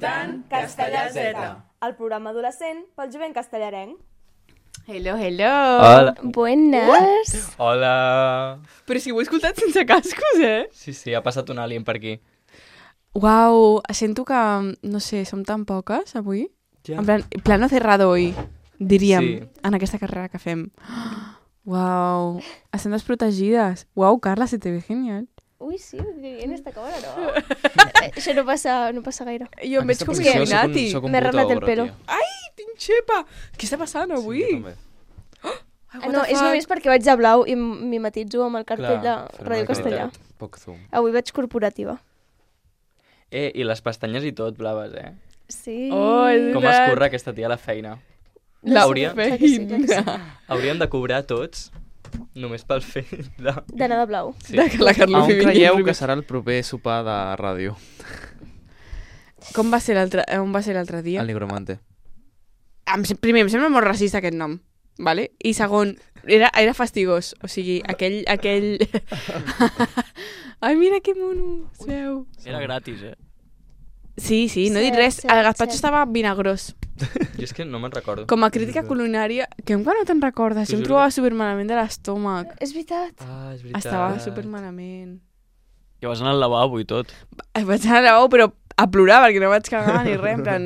escoltant Castellà Z, el programa adolescent pel jovent castellarenc. Hello, hello. Hola. Buenas. Hola. Però si ho he escoltat sense cascos, Sí, ha passat un alien per aquí. Uau, sento que, no sé, som tan poques avui. Ja. En plano cerrado hoy, diríem, Sí. en aquesta carrera que fem. Uau, estem desprotegides. Uau, Carla, se te ve genial. Uy, sí, en esta cámara no. Això no passa gaire. Jo em veig com posició Illuminati. M'he arreglat el pelo. Tinc xepa. Què està passant avui? Sí, també. No, és només perquè vaig de blau i mimetitzo amb el cartell de Ràdio Castellà. Poc zoom. Avui vaig corporativa. I les pestanyes i tot blaves, Sí. Oh, és Com veritat. escurra aquesta tia a la feina. La Hauríem- feina. Hauríem de cobrar tots només pel fet de... D'anar de blau. Sí. De que la Carla On Fibi creieu vingui. que serà el proper sopar de ràdio? Com va ser l'altre dia? El Nigromante. Primer, em sembla molt racista aquest nom, vale? I segon, era fastigós, o sigui, aquell... Ai, mira que mono, seu. Era gratis, Sí, no he dit Cert, res, cert, el gazpacho cert. estava vinagrós. Jo és que no me'n recordo. Com a crítica culinària, que encara no te'n recordes, jo em juro trobava que- supermalament de l'estómac. És veritat. Ah, és veritat. Estava supermalament. Que vas anar al lavabo i tot. Vaig anar al lavabo, però a plorar, perquè no vaig cagar ni res, en plan,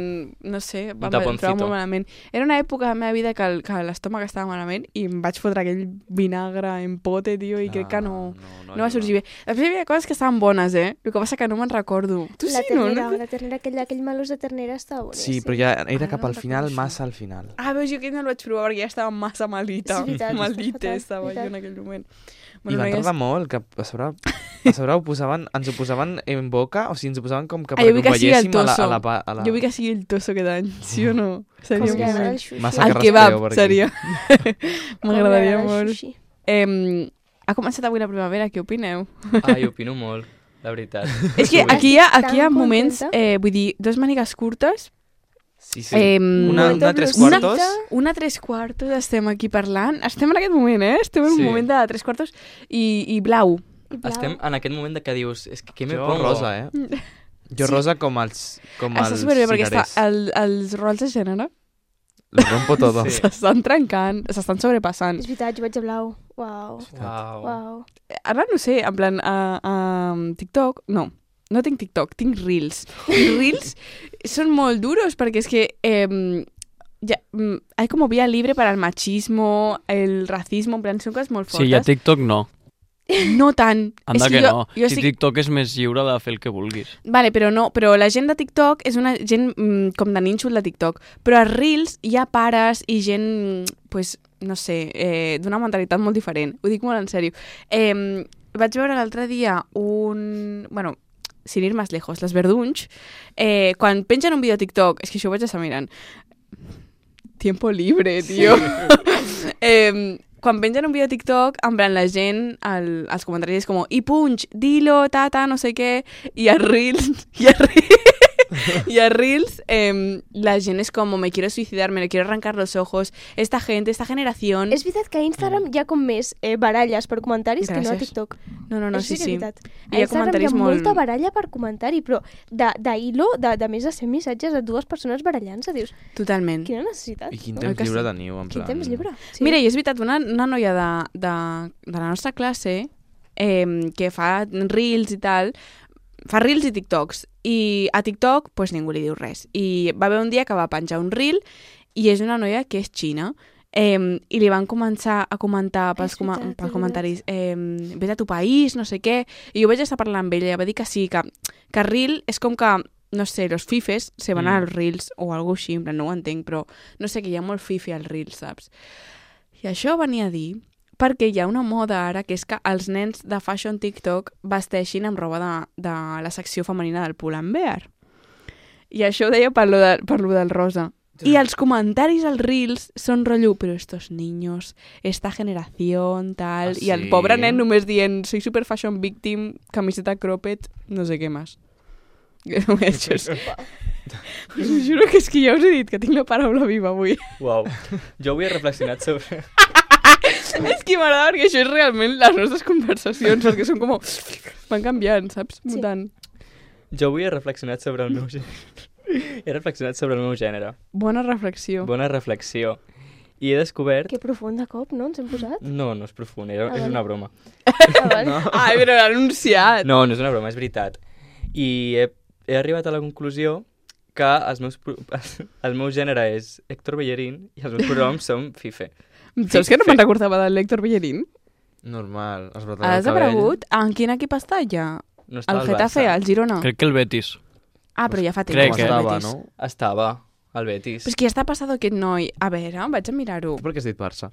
no sé, em taponcito. trobava molt malament. Era una època de la meva vida que l'estómac estava malament i em vaig fotre aquell vinagre en pote, tio, i crec que no va sorgir bé. Després hi havia coses que estaven bones, el que passa que no me'n recordo. Tu La sí, no? ternera, aquell malús de ternera estava boníssim. Sí, però ja era Ah, cap no al me'n final, recordo massa al final. Ah, veus, jo aquell no el vaig provar perquè ja estava massa malita. És veritat, Maldita està fatal, estava jo veritat. en aquell moment. I van tardar molt, que a sobre ens ho posaven en boca, o sigui, ens ho posaven com que Ah, jo vull perquè ho que sigui el veiéssim tosso. a la... Jo vull que sigui el tosso aquest any, sí o no? Seria Com un li agrada moment. el sushi. Massa El que kebab rastreo per aquí. seria. Com li M'agradaria agrada el molt. sushi. Ha començat avui la primavera, què opineu? Ah, jo opino molt, la veritat. És que aquí hi Estic ha tan moments, contenta. vull dir, dos mànigues curtes, Sí, sí. Una Una tres blusita. quartos. una tres quartos, estem aquí parlant. Estem en aquest moment, Estem en un Sí. moment de tres quartos i blau. I blau. Estem en aquest moment que dius, és que què me Jo pongo? rosa, Jo rosa com els Està superbé perquè cirerers. els rols de gènere Lo rompo todo. Sí. s'estan trencant, s'estan sobrepassant. És veritat, jo vaig de blau. Uau. Uau. Uau. Ara no sé, en plan, a TikTok, no tinc TikTok, tinc Reels. I Reels són molt duros perquè és que hay como vía libre para el machismo, el racismo, en plan, són coses molt fortes. Sí, a TikTok no. No tant. Anda És que no. Jo Si TikTok és més lliure de fer el que vulguis. Vale, però no, però la gent de TikTok és una gent com de nínxol de TikTok, però a Reels hi ha pares i gent, pues, no sé, d'una mentalitat molt diferent. Ho dic molt en sèrio. Vaig veure l'altre dia bueno, sin ir más lejos, les Verdunys, quan pengen un vídeo a TikTok, és que això ho vaig estar mirant, tiempo libre, tio. Quan pengen un vídeo a TikTok, en plan, la gent, als comentaris és com, i punch, dilo, tata, no sé què, i a Reels, la gent és com, me quiero suicidar, me quiero arrancar los ojos, esta gente, esta generación... És veritat que a Instagram hi ha com més baralles per comentaris que no a Gràcies. TikTok. No, Això sí, que és sí. veritat. Hi ha A Instagram comentaris hi ha molt... molta baralla per comentari, però d'hilo, de més de 100 missatges de dues persones barallant-se, dius, Totalment. quina necessitat? I quin no? temps que lliure sí? teniu, en Quin plan... temps lliure? Sí. Mira, i és veritat, una noia de la nostra classe que fa Reels i tal, fa Reels i TikToks, i a TikTok pues, ningú li diu res. I va haver un dia que va penjar un Reel i és una noia que és xina, i li van començar a comentar pels comentaris vés a tu país, no sé què, i jo vaig estar parlant amb ella, va dir que sí, que Reel és com que, no sé, los fifes se van als Reels o algo així, en plan, no ho entenc, però no sé, que hi ha molt fifi al Reels, saps? I això venia a dir perquè hi ha una moda ara que és que els nens de fashion TikTok vesteixin amb roba de la secció femenina del Pull&Bear. I això ho deia per lo del rosa. I els comentaris als Reels són rotllo, però estos niños, esta generación, tal... Ah, I el sí? pobre nen només dient, soy super fashion victim, camiseta cropped, no sé què més. Això és... Us juro que és que ja us he dit que tinc la paraula viva avui. Uau. Jo avui he reflexionat sobre... És que m'agrada perquè això és realment les nostres conversacions, perquè són com... van canviant, saps? Sí. Mutant. Jo avui he reflexionat sobre el meu... He reflexionat sobre el meu gènere. Bona reflexió. Bona reflexió. I he descobert... Que profund de cop, no? Ens hem posat? No, no és profund, és vale. una broma. Vale. Ai, però l'ha anunciat. No, no és una broma, és veritat. I he arribat a la conclusió que el meu gènere és Héctor Bellerín i els meus pronoms són Fife. Saps que no me'n recordava del Héctor Bellerín? Normal. Has brotat Ha el cabell. desaparegut? En quin equip està ja? No està El al Getafe, Barça. el Girona? Crec que el Betis. Ah, però ja fa temps. Crec Com que- el estava, Betis. no? Estava al Betis. Però és que ja està passat aquest noi. A veure, vaig a mirar-ho. Per què has dit Barça?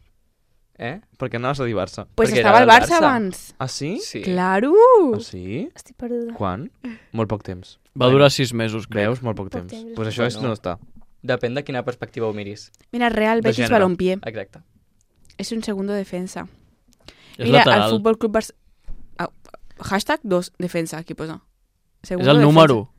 Eh? Per què anaves a dir Barça? Pues Perquè estava era al del Barça Barça. abans. Ah, sí? Sí. Claro! Ah, sí? Estic perduda. Quan? Molt poc temps. Va durar 6 mesos, crec. Veus? Molt poc Poc temps. temps. Doncs pues això és Bueno. no està. Depèn de quina perspectiva ho miris. Mira, Real De Betis gènere. Balompié. Exacte. És un segundo defensa. És Mira, lateral. el Futbol Club Barça... Hashtag 2, defensa, aquí posa. És Segundo el defensa. número.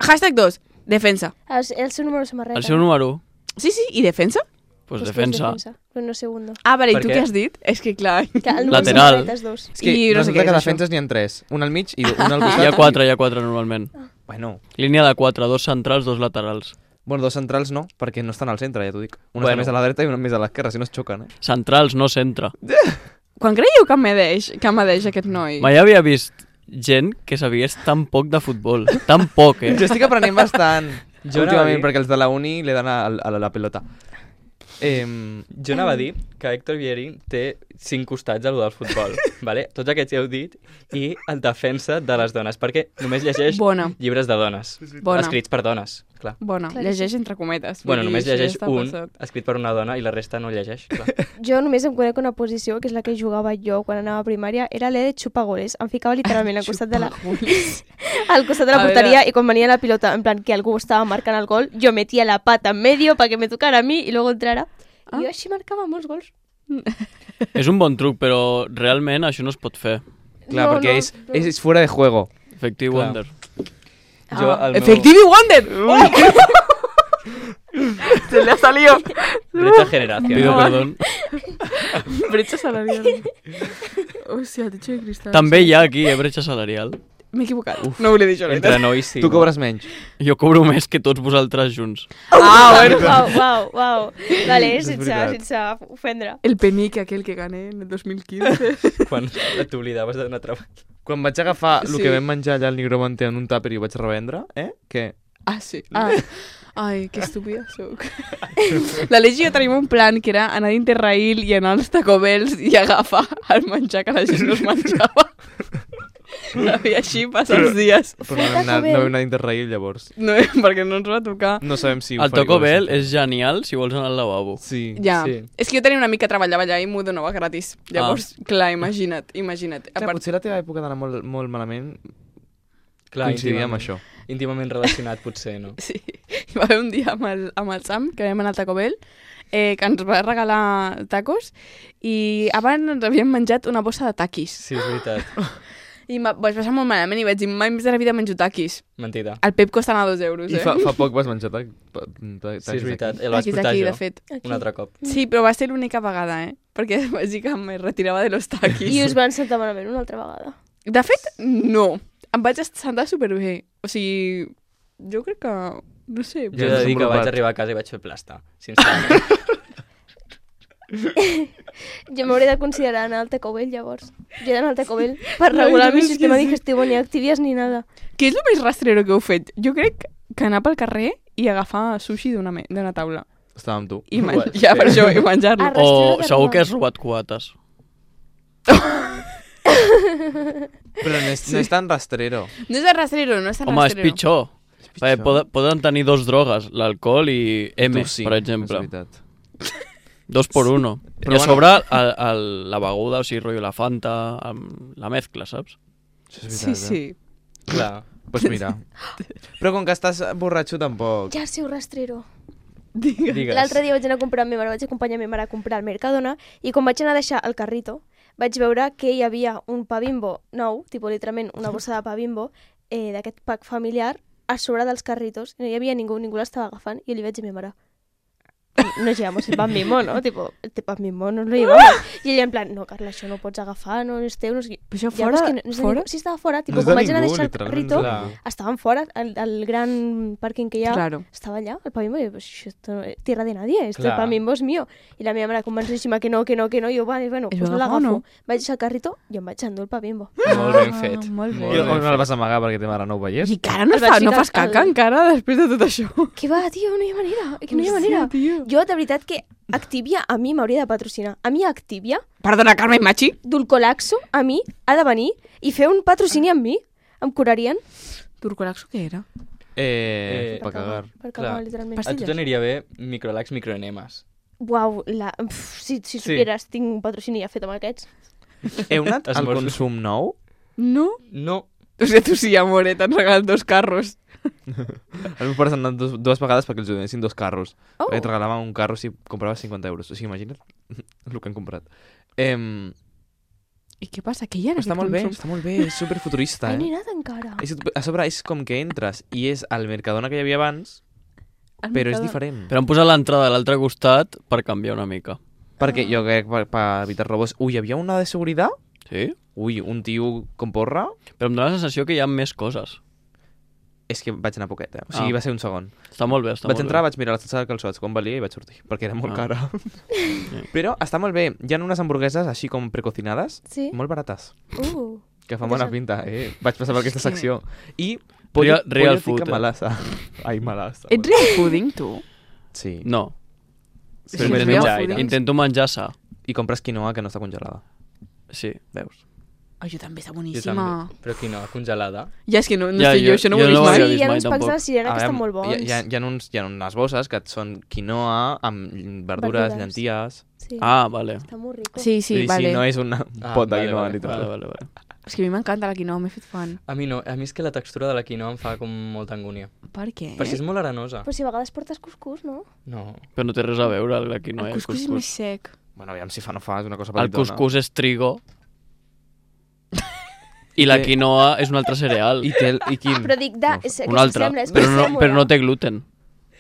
Hashtag 2, defensa. El seu número de samarreta. El seu número, Sí, sí, i defensa? pues Després defensa. Però no segundo. Ah, vale, i Per tu què? què has dit? És que clar... Que el número Lateral. de samarreta és 2. És que I no sé resulta què que és defenses n'hi ha 3. Un al mig i un al costat. Hi ha 4 normalment. Bueno, Línia de 4, 2 centrals, 2 laterals. bueno, 2 centrals no, perquè no estan al centre, ja t'ho dic. Una Bueno. està més a la dreta i una més a l'esquerra, si no es xoquen, eh? Centrals, no centre. Quan creieu que medeix aquest noi? Mai havia vist gent que sabies tan poc de futbol. Tan poc, eh? Jo estic aprenent bastant Jo anava a últimament, dir- perquè els de la uni le dan a la pelota. Jo anava a dir que Héctor Bellerín té 5 costats a lo del futbol, vale? Tots aquests ja heu dit, i el defensa de les dones, perquè només llegeix Bona. llibres de dones, Bona. escrits per dones, clar. Bona, Clar que llegeix entre cometes. Bueno, vull dir, només això ja llegeix està un passat. escrit per una dona i la resta no llegeix, clar. Jo només em conec una posició, que és la que jugava jo quan anava a primària, era l'E de xupagoles. Em ficava literalment al costat de la, al costat de la A porteria veure. y cuando venía la pilota, en plan que algú estava marcant el gol, yo metía la pata en medio para que me tocara a mí y luego entrara. I jo així marcava molts gols. És un bon truc, però realment això no es pot fer. Clar, No, perquè no, és fuera de juego. Efectiu Clar. Wonder. Jo, el meu... Efectivi Wonder! Se le ha salido. Brecha generación. Pido perdón. Brecha salarial. Hòstia, techo de cristal. També hi ha aquí, bretxa salarial. M'he equivocat. No volia dir això. la Entre veritat. nois sí. Tu cobres menys. Jo cobro més que tots vosaltres junts. Ah, bueno. Uau. Vale, És sense, veritat. sense ofendre. El penique aquel que gané en el 2015. Quan t'oblidaves de donar treball. Quan vaig agafar el Sí. que vam menjar allà al Nigromante en un tàper i ho vaig revendre, què? Ah, sí. Ah. Ai, que estúpida soc. L'Aleix i jo tenim un plan que era anar a Interrail i anar als Taco Bells i agafar el menjar que la gent no es menjava. I així passa els dies. Però no vam anar, no vam anar a Interrail llavors. No, perquè no ens va tocar. No sabem si El Taco Bell és genial si vols anar al lavabo. Sí. Ja, Sí. és que jo tenia una amica que treballava allà i m'ho donava gratis. Llavors, clar, imagina't. A Clar, part, potser la teva època d'anar molt, molt malament Clar, coincidia amb això. Íntimament relacionat, potser, no? sí. Hi va haver un dia amb el Sam, que vam anar al Taco Bell, que ens va regalar tacos i abans ens havíem menjat una bossa de taquis. Sí, és veritat. I vaig passar molt malament i vaig dir, mai més de la vida menjo taquis. Mentida. El Pep costa anar 2 euros, I eh? fa poc vas menjar Sí, és veritat. El vaig Taquis portar aquí, jo. de fet. Un altre cop. Sí, però va ser l'única vegada, eh? Perquè vaig dir que me retirava de los taquis. I us van sentar malament una altra vegada. De fet, no. Em vaig sentar superbé. O sigui, jo crec que... No sé. Jo he de dir que vaig arribar a casa i vaig fer plasta, sincerament. Jo m'hauré de considerar anar al Taco Bell, llavors. Jo he d'anar al Taco Bell per regular el meu és que sistema sí. digestivo, ni activities ni nada. Què és el més rastrero que heu fet? Jo crec que anar pel carrer i agafar sushi d'una taula. Estava amb tu. I Bueno, ja, sí. per això, i menjar-lo. Ah, O rastrero de segur robar. que has robat cuates. Però no és tan rastrero. No és de rastrero, no és tan Home, és rastrero. pitjor. Perquè poden tenir 2 drogues, l'alcohol i M, Tu sí, per és exemple. veritat. 2 por 1. Però I a bueno. sobre la beguda, o sigui, rotllo la Fanta, amb la mescla, saps? Això és Sí, veritat, sí. Clar. Pues mira. Però com que estàs borratxo tampoc. Ja sé, rastrero. Digues. L'altre dia vaig anar a comprar amb ma mare, vaig acompanyar ma mare a comprar al Mercadona i quan vaig anar a deixar el carrito vaig veure que hi havia un pa Bimbo nou, tipus literalment una bossa de pa Bimbo, d'aquest pack familiar, a sobre dels carritos. No hi havia ningú l'estava agafant i li vaig dir a ma mare, nos llevamos el pan bimbo, ¿no? Tipo, este pan bimbo nos lo llevamos. I ella en plan, no, Carla, això no ho pots agafar, no és teu, no sé què. Però això Ja, però és fora? que no és de Fora? ningú. Sí, estava fora, tipo, No és quan de vaig anar a ningú, deixar el literalment, carrito, clar. estaven fora, al gran pàrquing que hi ha, Claro. estava allà, el pan bimbo, i jo, pues, això esto no es tierra de nadie, este Clar. pan bimbo és mío. I la meva mare convençudíssima que no, i jo, bueno, Es pues lo l'agafo. agafo, no? Vaig deixar el carrito i em vaig endur el pa bimbo. Molt ben fet. Molt bé. Molt I ben on no el fet. vas amagar perquè te mare no ho veiés? I encara no, El vaig no ficar fas caca al- encara després de tot això. Que va, tio, no hi ha manera, que no hi ha Hòstia, manera. tio. Jo, de veritat, que Activia a mi m'hauria de patrocinar. A mi Activia, Perdona, Carme Machi? Dulcolaxo, a mi, ha de venir i fer un patrocini amb mi. Em curarien. Turcolaxo què era? Per cagar. Per cagar, Clar. literalment. A tu Pastilles. t'aniria bé microlax, microenemes. Uau, si supieres, tinc un patrocini ja fet amb aquests. Heu anat al Esmorzos. consum nou? No? No. O sigui, tu sí, amore, t'han regalat 2 carros. Els meus pares han anat dues vegades perquè els donessin 2 carros. Oh, Perquè et regalaven un carro si compraves 50 euros. O sigui, imagina't el que han comprat. I què passa? Què hi ha en Està aquest molt bé, consum? està molt bé. És superfuturista, ai, n'he eh? anat encara. A sobre és com que entres i és al Mercadona que hi havia abans, Al però és Mercadona. diferent. Però han posat l'entrada a l'altre costat per canviar una mica. Perquè jo crec per evitar robos... Ui, hi havia una de seguretat? Sí? Ui, un tio com porra? Però em dóna la sensació que hi ha més coses. És que vaig anar poquet, O sigui, Ah. va ser un segon. Està molt bé, està Vaig molt entrar, bé. vaig mirar l'estat de calçots, quan valia i vaig sortir, perquè era molt Ah. cara. Però està molt bé. Hi ha unes hamburgueses així com precocinades, Sí? molt barates, que fan Interessant. bona pinta, Vaig passar per aquesta És que- secció. I Real food, tikka malasa. Ai, malasa. Ets real pudding, tu? Sí. No, Sí, Però és menjar real aire. pudding. intento menjar sa. I compres quinoa que no està congelada. Sí. Veus? Ai, jo també, està Jo boníssima. també. Però quinoa congelada. Ja, és que no Ja, sé jo, això no ho he jo vist no ho mai. havia Sí, vist hi ha mai, uns packs de tampoc. la cirera que estan molt bons. Hi ha unes bosses que et són quinoa amb verdures, Verdures. llenties... Sí. Ah, vale. Està molt rico. Sí, sí, vale. Sí, no és un pot de vale, quinoa, vale, literal. Vale. És que a mi m'encanta la quinoa, m'he fet fan. A mi no. A mi és que la textura de la quinoa em fa com molta angúnia. Per què? Perquè és molt arenosa. Però si a vegades portes cuscús, no? No. Però no té res a veure el quinoa i El el cuscús és més cuscús. sec. Bueno, aviam si fa o no fa, és una cosa El petitona. cuscús és trigo i la quinoa és un altre cereal. I quin? Però dic, No, és Un que altre, s'assembla, és però més no, sèmola. però no té gluten.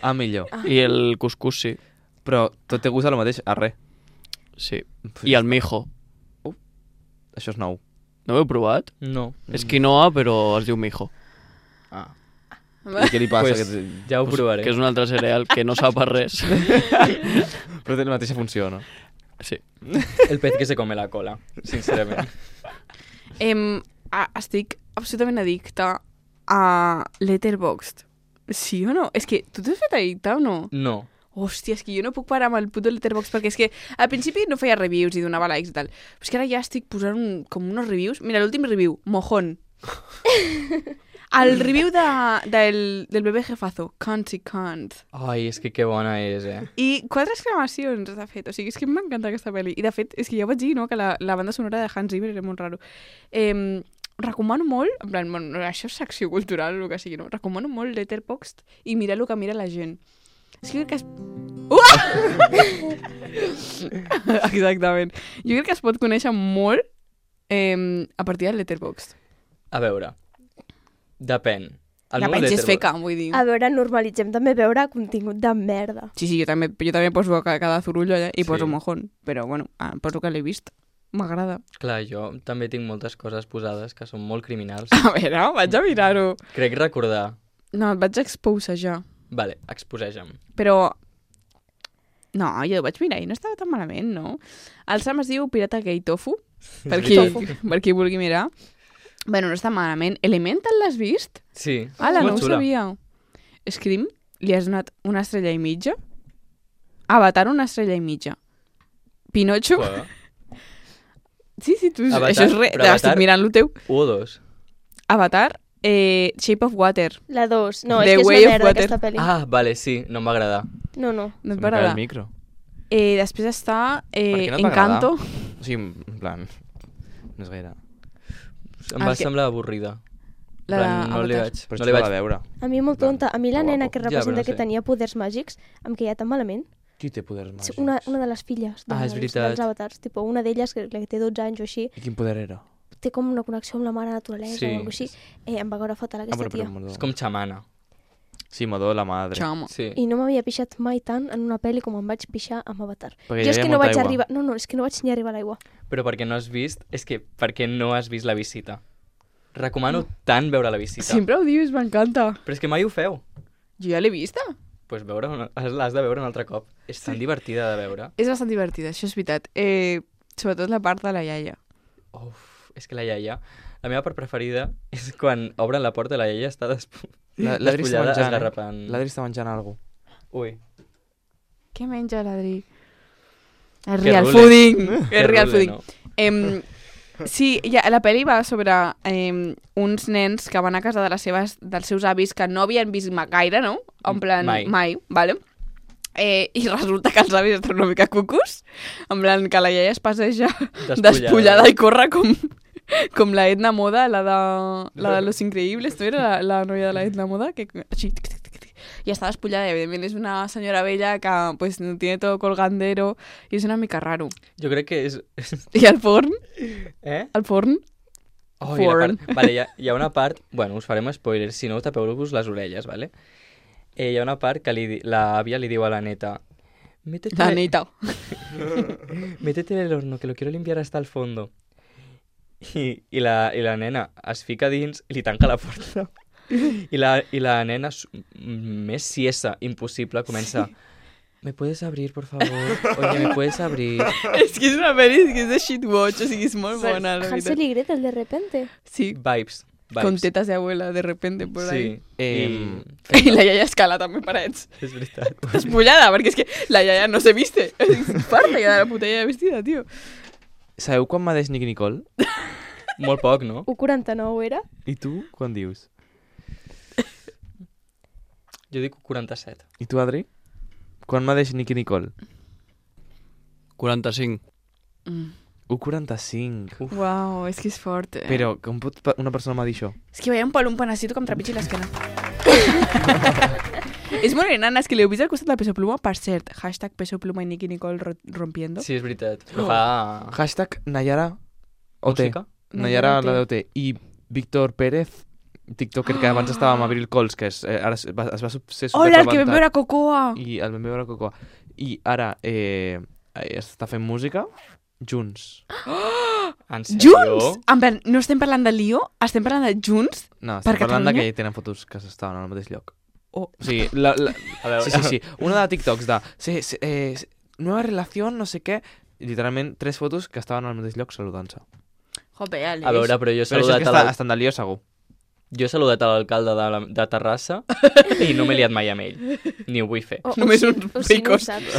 Ah, millor. I el cuscús sí. Però tot té gust a lo mateix, a res. Sí. I el mijo. Això és nou. No ho heu provat? No. És quinoa, però es diu mijo. Ah. I què li passa? Pues, ja ho provaré. Que és un altre cereal que no sap a res. Però té la mateixa funció, no? Sí. El pez que se come la cola, sincerament. Estic absolutament addicta a Letterboxd. Sí o no? És que tu t'has fet addicta o no? No. Hòstia, és que jo no puc parar amb el puto Letterboxd perquè és que al principi no feia reviews i donava likes i tal. Però és que ara ja estic posant com unos reviews. Mira, l'últim review, mojón. El review del bebè jefazo, Can't i Can't. Ai, és que bona és, I 4 exclamacions, de fet. O sigui, és que m'encanta aquesta pel·li. I, de fet, és que ja ho vaig dir, no?, que la banda sonora de Hans Zimmer era molt raro. Recomano molt, en plan, bueno, això és secció cultural o el que sigui, no? Recomano molt Letterboxd i mirar el que mira la gent. És que crec que es... Exactament. Jo crec que es pot conèixer molt a partir del Letterboxd. A veure, depèn. El La meu pensi és Letterboxd- feca, vull dir. A veure, normalitzem també veure contingut de merda. Sí, jo també poso cada zurullo allà i Sí. poso mojón. Però, bueno, poso que l'he vist. M'agrada. Clar, jo també tinc moltes coses posades que són molt criminals. A veure, vaig a mirar-ho. Crec recordar... No, et vaig exposejar. Vale, exposeja'm. Però... No, jo ho vaig mirar i no estava tan malament, no? El Sam es diu Pirata Gay Tofu, per qui vulgui mirar. Bueno, no està malament. Elemental l'has vist? Sí, Ala, és no molt ho xula. sabia. Scream, li has donat una estrella i mitja. Avatar, una estrella i mitja. Pinocho... Joder. Sí, tu, Avatar, això és res. però Avatar- Estic mirant lo teu. 1 o 2. Avatar, Shape of Water. La 2. No, The és que és Way una of merda Water. aquesta pel·li. Ah, vale, sí, no em va agradar. No, no. No et Se va me cae agradar. el micro. Després està què no et va Encanto. O sigui, en plan... No és gaire. Em El va que- semblar avorrida. La En plan, no li d'Avatar. vaig... Però No no li va vaig... veure. A mi molt tonta. A mi la Que nena guapo. que Ja, representa però no que sé. tenia poders màgics em queia tan malament. Qui té poders màgics? Una de les filles Ah, és veritat. dels avatars. Tipo, una d'elles, que té 12 anys o així, I quin poder era? té com una connexió amb la mare naturalesa Sí. o alguna cosa així. Em va caure fatal aquesta tia. És com xamana. Sí, Modó la madre. Chamo. Sí. I no m'havia pixat mai tant en una pel·li com em vaig pixar amb Avatar. Perquè Jo hi és havia que no molta vaig aigua. arribar... No, és que no vaig ni arribar a l'aigua. Però perquè no has vist... És que perquè no has vist La Visita. Recomano tant veure La Visita. Sempre ho dius, m'encanta. Però és que mai ho feu. Jo ja l'he vista. Pues l'has de veure un altre cop. És tan divertida de veure. És bastant divertida, això és veritat. Sobretot la part de la iaia. Uf, és que la iaia... La meva part preferida és quan obren la porta i la iaia està L'Adri està despullada menjant, esgarrapant. L'Adri està menjant alguna cosa. Ui. Què menja l'Adri? És Que real rule. fooding. Que És real rule, fooding. Sí, la pel·li va sobre uns nens que van a casa de dels seus avis que no havien vist gaire, no? En plan, mai, vale? I resulta que els avis estan una mica cucus, en plan que la iaia es passeja despullada i corre com la Edna Moda, la de Los Increíbles, no era la noia de la Edna Moda? Que així, y está despullada, evidentemente es una señora bella que pues tiene todo colgandero y es una mica raro. Jo crec que és... I el forn? Eh? El forn? Oh, Forn. Vale, hi ha una part... Bueno, us farem spoilers, si no tapeu-vos les orelles, ¿vale? Hi ha una part que l'àvia li diu a la neta... La neta. Métete en el horno, que lo quiero limpiar hasta el fondo. I la nena es fica dins i li tanca la porta. I la nena, més siesa impossible, comença... ¿Me puedes abrir, por favor? Oye, ¿me puedes abrir? És que és una pel·li que és de shitwatch, o sigui, és molt bona, la Hansel veritat. y Gretel, de repente. Sí, Vibes. con tetas de abuela, de repente, por ahí. Sí. I la iaia escala també parets. És veritat. Despullada, perquè és que la iaia no se viste. És farta ja de la puta iaia vestida, tio. Sabeu quan m'ha Nicky Nicole? Molt poc, no? 1,49 era? I tu, quan dius? Jo dic 47. I tu, Adri? Quan m'ha Nicky Nicole? 45. 1,45. Uau, és que és fort. Però com pot una persona m'ha dit això? És que veia un panacito que em trepitgi l'esquena. És molt enana, és que l'heu vist al costat de Peso Pluma, per cert. Hashtag Peso Pluma i Nicky Nicole rompiendo. Sí, és veritat. Però fa... Hashtag Nayara OT. Música? Nayara OT. la d'OT. I Víctor Pérez, tiktoker que abans estava amb Abril Cols, que ara es va ser superrebentat. Hola, el que vam veure a Cocoa! I el vam veure a Cocoa. I ara està fent música junts. En sèrio? Junts? En plan, no estem parlant de Lío, estem parlant de junts? No, Per estem parlant de Catalunya? que tenen fotos que s'estaven al mateix lloc. Oh. O sigui, A veure, sí. Una de TikToks de nueva relación, no sé què, literalment 3 fotos que estaven al mateix lloc saludant-se. Jope, Àlex. A veure, però jo he Però això és saludat, que estan de lío segur. jo he saludat a l'alcalde de Terrassa i no m'he liat mai amb ell. Ni ho vull fer. Només sí, uns o sí, no ho picos. saps.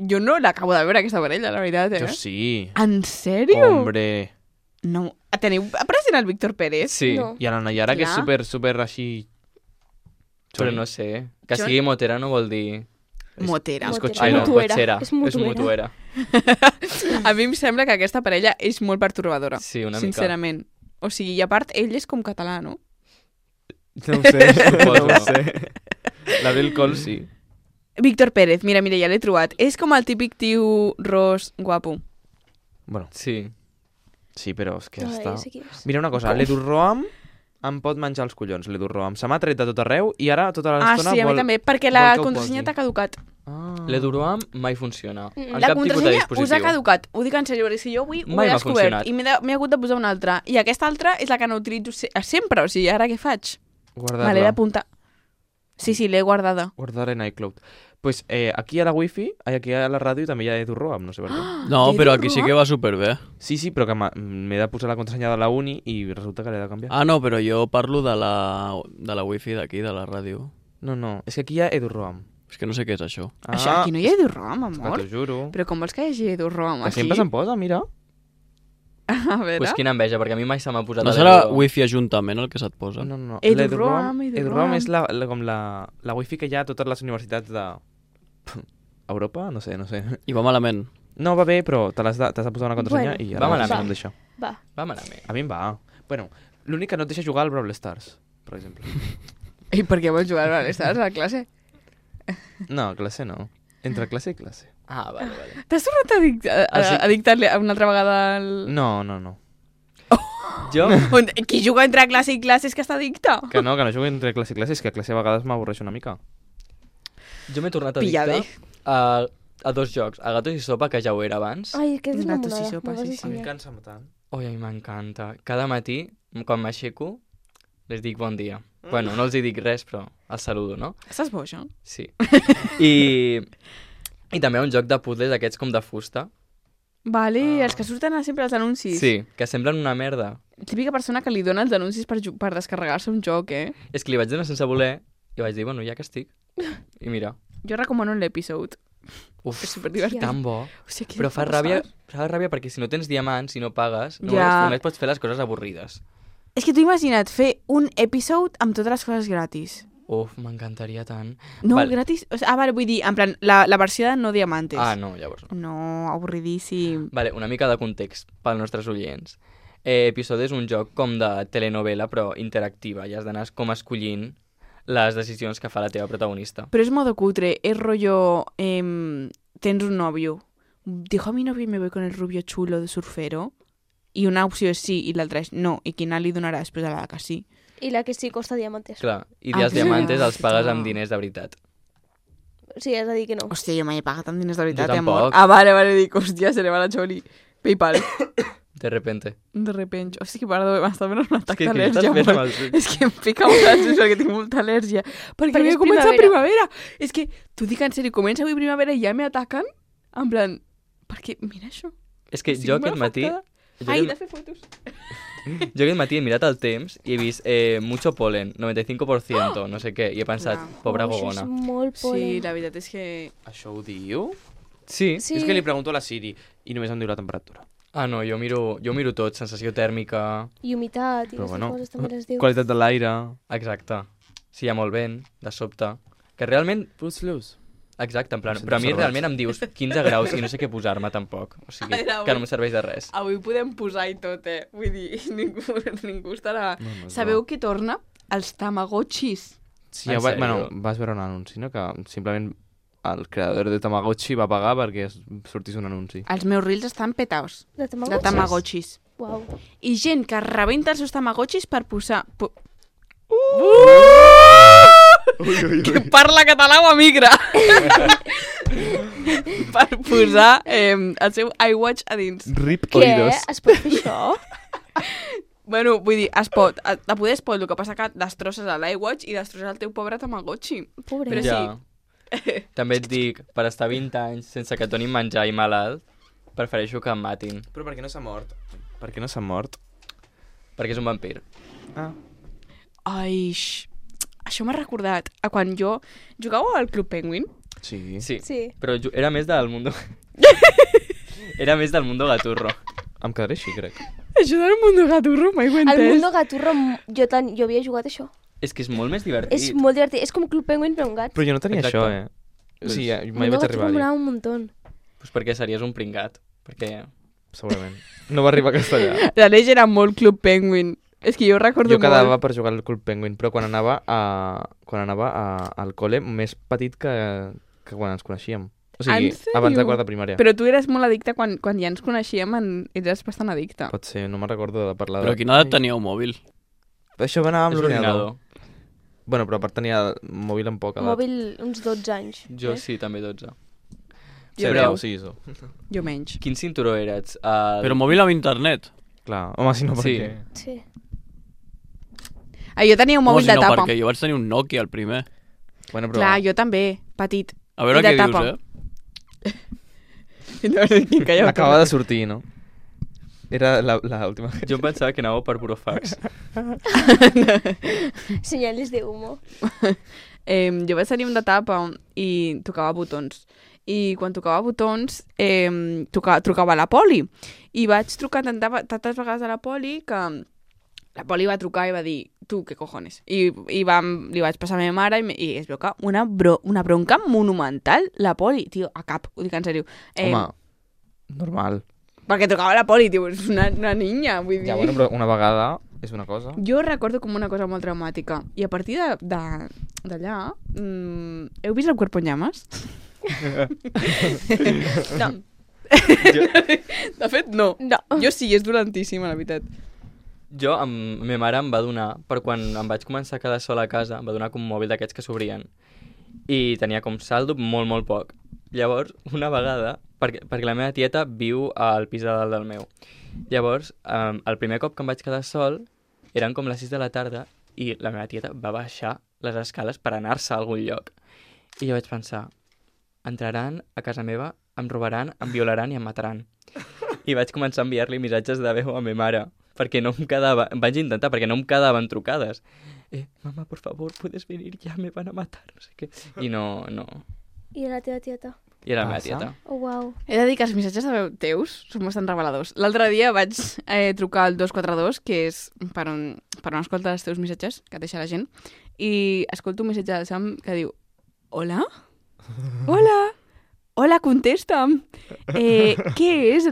Jo no l'acabo de veure, aquesta parella, la veritat, Jo sí. En sèrio? Hombre. No. Teniu present el Víctor Pérez? Sí, No. I a la Nayara, que és Clar. super així... però no sé. Que Jo- sigui motera no vol dir... Motera. És Motera. cotxera. Ai, no, Mutuera. cotxera. És mutuera. A mi em sembla que aquesta parella és molt pertorbadora. Sí, una mica. Sincerament. O sigui, i a part, ell és com català, no? No ho sé, Suposo. no ho sé. L'Abril Cols sí. Víctor Pérez, mira, ja l'he trobat. És com el típic tio ros guapo. Bueno, Sí. sí, però és que Ai, està... ja sé qui és. Mira una cosa, l'Edu Roam em pot menjar els collons, l'Edu Roam. Se m'ha tret de tot arreu i ara tota Ah, l'estona sí, a mi vol... també, perquè la vol que ho contrasenya posi. t'ha caducat. Ah. L'Eduroam mai funciona. En La cap tipus de contrasenya us ha dispositiu. caducat. Ho dic en sèrio, perquè si jo avui ho Mai he m'ha descobert funcionat. i m'he hagut de posar una altra. I aquesta altra és la que no utilitzo sempre, o sigui, ara què faig? Me l'he Guardar-la. d'apuntar. Sí, l'he guardada. Guardar en iCloud. Pues aquí a la wifi, aquí a la ràdio també hi ha Edu Roam, no sé per què. No, Què però dius, aquí sí Roa? que va superbé. Sí, però que m'he de posar la contrasenya de la uni i resulta que l'he de canviar. Ah, no, però jo parlo de la wifi d'aquí, de la ràdio. No, és que aquí hi ha Edu Roam. És que no sé què és això. Això, aquí no hi ha EduRoam, Que amor. t'ho juro. Però com vols que hi hagi EduRoam Que aquí? sempre se'n posa, mira. A veure... Pues quina enveja, perquè a mi mai se m'ha posat No a serà l'Eduroam. wifi ajuntament el que se't posa? No. Edu Roam, Edu Roam és com la wifi que hi ha a totes les universitats de... Europa? No sé. I va malament. No, va bé, però t'has de posar una contrasenya Bueno, i va ara malament. no em deixa. Va. Va malament. A mi em va. Bueno, l'únic que no et deixa jugar al Brawl Stars, per exemple. I per què vols jugar a les a la classe? No, classe no. Entre classe i classe. Ah, vale. T'has tornat a Ah, sí? dictar-li una altra vegada el... No. Jo... Qui juga entre classe i classe és que està addicte. Que no jugo entre classe i classe, és que a classe a vegades m'avorreix una mica. Jo m'he tornat Pillade. addicte a 2 jocs, a Gatos i Sopa, que ja ho era abans. Ai, que és una Gatos i monada. sopa, me'l vas sí, sí. ensenyar. Cansa tant. Ui, a mi m'encanta. Cada matí, quan m'aixeco, les dic bon dia. Bueno, no els hi dic res, però els saludo, no? Estàs boja? Sí. I també un joc de puzzles aquests com de fusta. Vale, els que surten sempre als anuncis. Sí, que semblen una merda. Típica persona que li dona els anuncis per descarregar-se un joc, eh? És que li vaig donar sense voler i vaig dir, bueno, ja que estic. I mira, Jo recomano l'episode. uf, És superdivertit. tan bo. Hòstia, què Però fa passa? ràbia perquè si no tens diamants, si no pagues, Ja. només pots fer les coses avorrides. És que tu imagina't fer un episode amb totes les coses gratis. Uf, m'encantaria tant. No, Val. gratis... O sigui, vale, vull dir, en plan, la versió de no diamantes. Ah, no, llavors no. No, avorridíssim. Vale, una mica de context pels nostres oients. Episode és un joc com de telenovela, però interactiva. I has d'anar com escollint les decisions que fa la teva protagonista. Però és modo cutre, és rollo... tens un novio. Dijo a mi novio y me voy con el rubio chulo de surfero. I una opció és sí i l'altra és no. I quina li donarà després a la que sí? I la que sí costa diamantes. Clar, i Ah, els diamantes clar. els pagues amb diners de veritat. Sí, has de dir que no. Hòstia, jo mai he pagat amb diners de veritat, Jo amor. tampoc. Ah, vale, dic, hòstia, se le va la xoli. Paypal. De repente. De repente. Hòstia, que perdó, m'està venint un atac que d'al·lèrgia. estàs fent amor. amb els ulls. És que em pica molt els ulls perquè tinc molta al·lèrgia. Perquè Perquè avui és ha començat primavera. primavera. És que, t'ho dic en sèrio, comença avui primavera i ja me ataquen. En plan, perquè, mira això. És que Estic jo molt aquest matí... afectada. Jo Ai, aquest, de fer fotos. jo aquest matí he mirat el temps i he vist mucho polen, 95%, no sé què, i he pensat, Clar. pobra Això gogona. és molt Sí, polen. la veritat és que... Això ho diu? Sí? Sí. És que li pregunto a la Siri i només em diu la temperatura. Ah, no, jo miro tot, sensació tèrmica... I humitat i Però aquestes bueno, coses també les diu. qualitat de l'aire... Exacte. Si hi ha molt vent, de sobte... Que realment... Plus luz. Exacte, en plan... Em sento Però a mi observat. realment em dius 15 graus i no sé què posar-me tampoc. O sigui, Era que no em serveix de res. Avui podem posar i tot, eh? Vull dir, ningú estarà... No, no, Sabeu no. què torna? Els tamagotxis. Sí, En ja va, sèrio? bueno, vas veure un anunci, no? Que simplement el creador de Tamagotchi va pagar perquè sortís un anunci. Els meus reels estan petaos De de tamagotxis? tamagotxis. Uau. I gent que rebenta els seus tamagotxis per posar... Que parla català o emigra! Per posar el seu iWatch a dins. Rip Què? Es pot fer això? Bueno, vull dir, es pot. De poder es pot, el que passa que destrosses l'iWatch i destrosses el teu pobre tamagotxi. Pobre. Però Ja. També et dic, per estar 20 anys sense que et donin menjar i malalt, prefereixo que em matin, Però per què no s'ha mort? Per què no s'ha mort? perquè és un vampir. Ah. Ai, això m'ha recordat a quan jo jugava al Club Penguin. Sí. Sí, Sí. però era més del mundo... era més del mundo gaturro. Em quedaré així, crec. Això del Mundo Gaturro mai ho he Al entès. Mundo Gaturro jo havia jugat això. És que és molt més divertit. És molt divertit. És com Club Penguin però amb gats. Però jo no tenia Exacte. això, eh? O sigui, mai Mundo vaig Gaturro arribar-hi. m'anava un muntó. Pues perquè series un pringat. Perquè... Segurament. No va arribar a castellà. L'Aleix era molt Club Penguin. És que jo recordo Jo quedava molt. per jugar al Club Penguin, però quan anava al col·le més petit que quan ens coneixíem. O sigui, En sèrio? abans de quart de primària. Però tu eres molt addicte quan ja ens coneixíem, eres bastant addicte. Pot ser, no me'n recordo de parlar Però a quina edat teníeu mòbil? Això va anar amb És l'ordinador. Bueno, però a part tenia mòbil amb poca edat. Mòbil uns 12 anys. Jo sí, també 12. Jo Però... deu. Sí, això. Jo menys. Quin cinturó eres? Però mòbil amb internet. Clar, home, si no, per Sí. què? Sí. Ah, jo tenia un mòbil si de no, tapa. perquè jo vaig tenir un Nokia, el primer. Bueno, però... Clar, jo també, petit. A veure I de què tapa. dius, Acaba de sortir, no? Era l'última. Jo em pensava que anàveu per burofax. Senyales de humo. Jo vaig tenir un de tapa i tocava botons. I quan tocava botons, trucava a la poli. I vaig trucar tantes vegades a la poli que la poli va trucar i va dir, tu, què cojones? I li vaig passar a la meva mare i es veu que una bronca monumental, la poli, tio, a cap, ho dic en sèrio. Home, normal. Perquè trucava a la poli, tio, és una niña, vull dir. Ja, bueno, però una vegada és una cosa. Jo recordo com una cosa molt traumàtica. I a partir d'allà... heu vist el Cuerpo en Llamas? No. De fet, no. No. Jo sí, és dolentíssima, la veritat. Jo, ma mare em va donar, per quan em vaig començar a quedar sola a casa, em va donar com un mòbil d'aquests que s'obrien. I tenia com saldo molt, molt poc. Llavors, una vegada, perquè la meva tieta viu al pis de dalt del meu. Llavors, el primer cop que em vaig quedar sol, eren com les 6 de la tarda, i la meva tieta va baixar les escales per anar-se a algun lloc. I jo vaig pensar, entraran a casa meva, em robaran, em violaran i em mataran. I vaig començar a enviar-li missatges de veu a ma mare, perquè no em quedava, em vaig intentar, perquè no em quedaven trucades. Mamá, por favor, puedes venir ya, me van a matar, no sé què. I no. I la teva tieta? I era la meva tieta. Oh, uau. He de dir que els missatges de veu teus són bastant reveladors. L'altre dia vaig trucar al 242, que és per on escolta els teus missatges, que et deixa la gent, i escolto un missatge del Sam que diu: Hola? Hola, contesta'm. Què és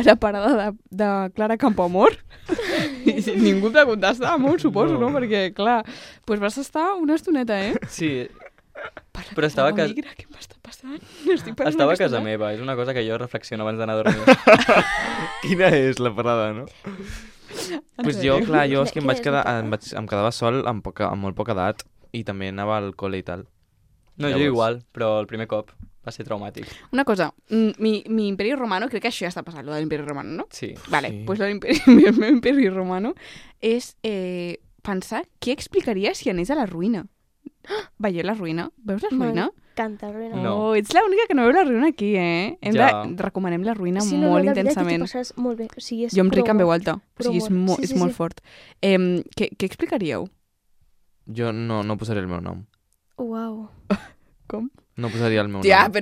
la parada de Clara Campoamor? I ningú et va contestar, molt suposo, no? Perquè, clar, doncs vas estar una estoneta, Sí, però estava a casa... Què m'està passant? Estava a casa meva, és una cosa que jo reflexiono abans d'anar a dormir. Quina és la parada, no? Pues jo, clar, jo és que em quedava sol amb molt poca edat i també anava al col·le i tal. No, jo igual, però el primer cop va ser traumàtic. Una cosa, mi imperi romano, crec que això ja està passant, lo de l'imperi romano, no? Sí. Vale, Sí. pues el meu imperi romano és pensar què explicaria si anés a la ruïna. Veieu la ruïna? Veus la ruïna? M'encanta la ruïna. No. Oh, ets l'única que no veu la ruïna aquí, eh? Recomanem la ruïna molt intensament. Sí, t'ho molt bé. O sigui, és Jo em ric en prou veu alta, o sigui, humor. és molt fort. Què explicaríeu? Jo no posaré el meu nom. Uau. Com? No posaria el meu Ja, nom.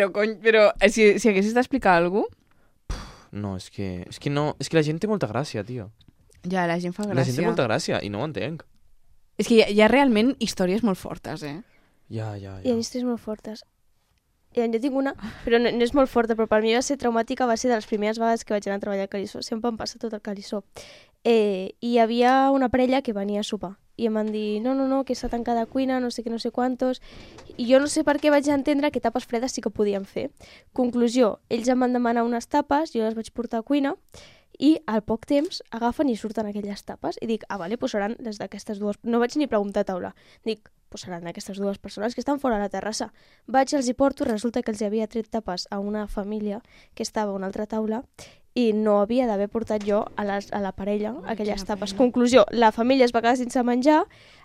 però si haguessis d'explicar alguna cosa... No, és que la gent té molta gràcia, tio. Ja, la gent fa gràcia. La gent té molta gràcia i no ho entenc. És que hi ha realment històries molt fortes, eh? Ja. Hi ha històries molt fortes. Jo tinc una, però no és molt forta, però per mi va ser traumàtica, va ser de les primeres vegades que vaig anar a treballar al Calissó. Sempre em passa tot el Calissó. I hi havia una parella que venia a sopar. I em van dir, no, que està tancada a cuina, no sé què, no sé quantos. I jo no sé per què vaig entendre que tapes fredes sí que podíem fer. Conclusió, ells em van demanar unes tapes, jo les vaig portar a cuina, i al poc temps agafen i surten aquelles tapes. I dic, vale, doncs seran les d'aquestes dues... No vaig ni preguntar a taula. Dic, doncs seran aquestes dues persones que estan fora a la terrassa. Vaig, els hi porto, resulta que els havia tret tapes a una família que estava a una altra taula i no havia d'haver portat jo a la parella aquelles tapes. Conclusió, la família es va quedar sense menjar,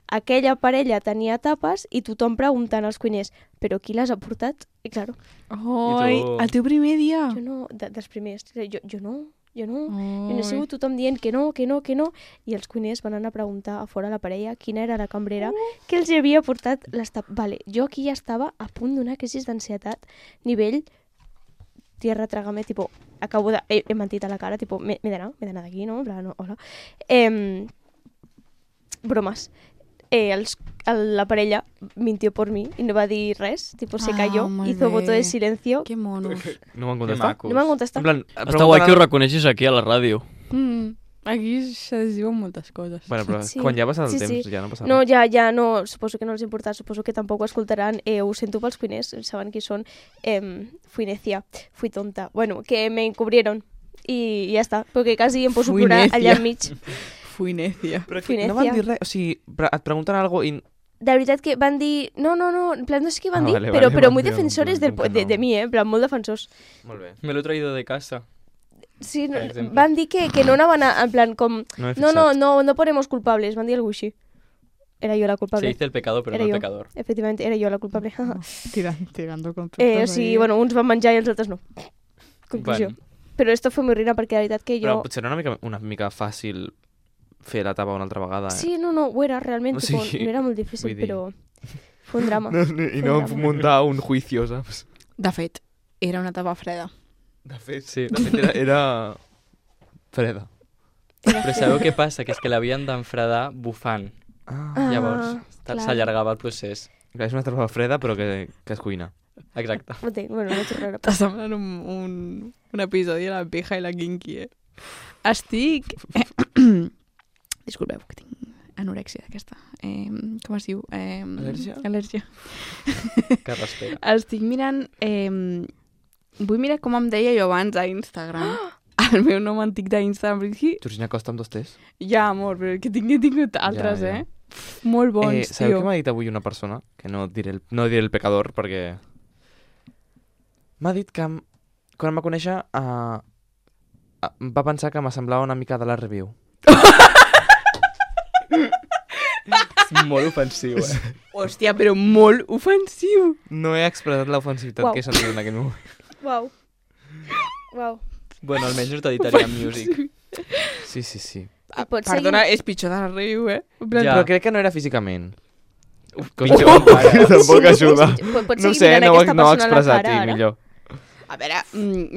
aquella parella tenia tapes i tothom preguntant als cuiners, però qui les ha portat? I claro, Oi, tu? el teu primer dia. jo no, dels primers, jo no. Jo no he sigut tothom dient que no, i els cuiners van anar a preguntar a fora a la parella quina era la cambrera que els havia portat les tapes. Vale, jo aquí ja estava a punt d'una crisi d'ansietat, nivell tierra, trágame, tipo, acabo de... He mentit a la cara, tipo, m'he d'anar d'aquí, no? En plan, no, hola. Bromes. La parella mintió por mí y no va a decir res, tipo se cayó, molt hizo voto de bé. silencio. Que monos. No m'han Que contestat. macos. No m'han contestat. En plan, Està guai que ho reconeixis aquí a la ràdio. Aquí se diuen moltes coses. Bueno, però Sí. quan ja passa el Sí, temps sí. ja no passa No, res. ja no, suposo que no els importa, suposo que tampoc ho escoltaran. Ho sento pels cuiners, saben qui són. Fui necia, fui tonta. Bueno, que me encubrieron i ja està, perquè quasi em poso a Fui plorar necia. allà enmig. Fui necia. Però Fui que no van necia. dir res. O sigui, et pregunten alguna cosa i... De veritat que van dir... No, en plan, no sé què van Ah, dir, vale, però vale, muy vale, defensores en plan, de no. mi, en plan, molt defensors. Molt bé. Me lo he traído de casa. Sí, Per exemple. van dir que no anaven a, en plan, com... No m'he No, fixat. no ponemos culpables, van dir alguna així. Era yo la Se culpable. dice el pecado, pero Era no el jo. pecador. Efectivamente, era yo la culpable. Tirando conceptes. O sigui, bueno, uns van menjar i els altres no. Conclusió. Bueno. Però esto fue muy rina perquè la veritat que Però jo... potser era una mica fàcil fer la tapa una altra vegada, eh? Sí, no, ho era, realment. O Tipo, sigui, no era molt difícil, vull dir- però... Fue un drama. I no muntar un juicio, saps? De fet, era una tapa freda. De fet, Sí. era freda. Però sabeu què passa? Que és que l'havien d'enfredar bufant. Ah, Llavors, clar. s'allargava el procés. És una tapa freda, però que es cuina. Exacte. Ho entenc, bueno, no t'ho raro. Està semblant un episodi de la pija i la kinky, eh? Estic... Disculpeu, que tinc anorèxia d'aquesta. Com es diu? Al·lèrgia? Al·lèrgia. Que respira. Estic mirant... vull mirar com em deia jo abans a Instagram. el meu nom antic d'Instagram. Georgina Costa amb 2 T's. Ja, amor, però que tingut altres, Ja, ja. Molt bons, sabeu tio. què m'ha dit avui una persona? Que no diré el pecador, perquè... M'ha dit que quan em va conèixer va pensar que m'assemblava una mica de la review. És molt ofensiu, Hòstia, però molt ofensiu. No he expressat l'ofensivitat Uau. que he sentit en aquell moment. Uau. Uau. Bueno, almenys no t'editaria music. Sí. I pots Perdona, és pitjor de la riu, En plan, Ja. Però crec que no era físicament. Pitjor encara. Tampoc ajuda. Pots No seguir sé, mirant no ho aquesta no ho persona a he la expressat cara, i ara? millor. A veure,